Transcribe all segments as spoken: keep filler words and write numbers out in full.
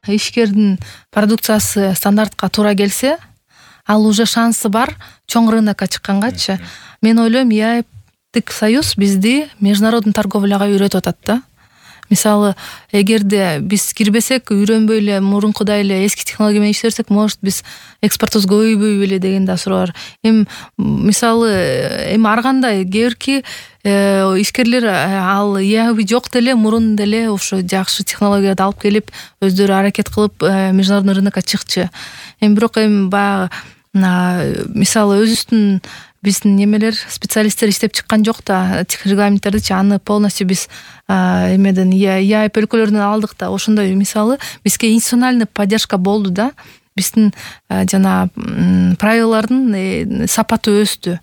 ишкердин продукциясы стандартка туура келсе, ал уже шансы бар чоң рынокко чыккангачы. Мен ойлойм, ЕАЭПтик союз бизди международный торговляга үйрөтүп атат да. Мисалы, эгерде биз кирбесек, үйрөнбөй эле мурункудай эле эски технология менен иштесек, может биз экспортубуз көбөйбөй беле деген да суроо бар. Эми мисалы, эми ар кандай кээ бирки ишкерлер ал ЕАЭП жок деле мурун деле ошо жакшы технологияларды алып келип, өздөрү аракет кылып международный рынокко чыкчу. Эми бирок эми баягы мисалы өзүбүздүн биздин немелер специалисттер иштеп чыккан жок да регламенттердичи, аны полностью биз эмеден ЕАЭП өлкөлөрүнөн алдык да. Ошондой мисалы бизге институциональный поддержка болду да. Биздин жана правилалардын сапаты өстү.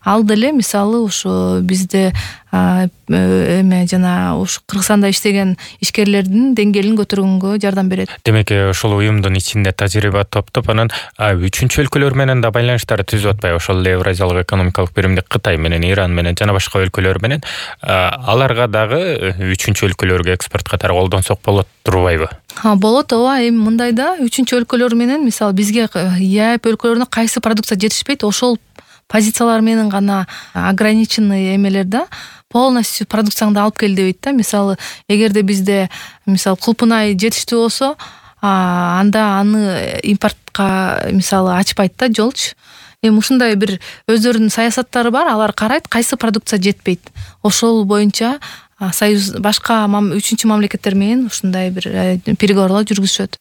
Ал деле мисалы ошо бизде эме жана ушу Кыргызстанда иштеген ишкерлердин деңгээлин көтөргөнгө жардам берет. Демек, ошол уюмдун ичинде тажрыйба топтоп, анан үчүнчү өлкөлөр менен да байланыштар түзүп атпайбы? Ошол Евразиялык экономикалык биримдик Кытай менен, Иран менен жана башка өлкөлөр менен аларга дагы үчүнчү өлкөлөргө экспорт катары колдонсок болот турбайбы? Ha, болот, ооба. Эми мындай да, үчүнчү өлкөлөр менен мисалы бизге ЕАЭП өлкөлөрүнө кайсы продукция жетишпейт, ошол позициялар менен гана ограниченный эмелер да, полностью продукцияңды алып кел дебейт да. Мисалы, эгерде бизде мисалы кулпунай жетиштүү болсо, анда аны импортко мисалы ачпайт да жолчу. Эми ушундай бир өздөрүнүн саясаттары бар, алар карайт кайсы продукция жетпейт. Ошол боюнча союз башка үчүнчү мамлекеттер менен ушундай бир переговорлор жүргүзүшөт.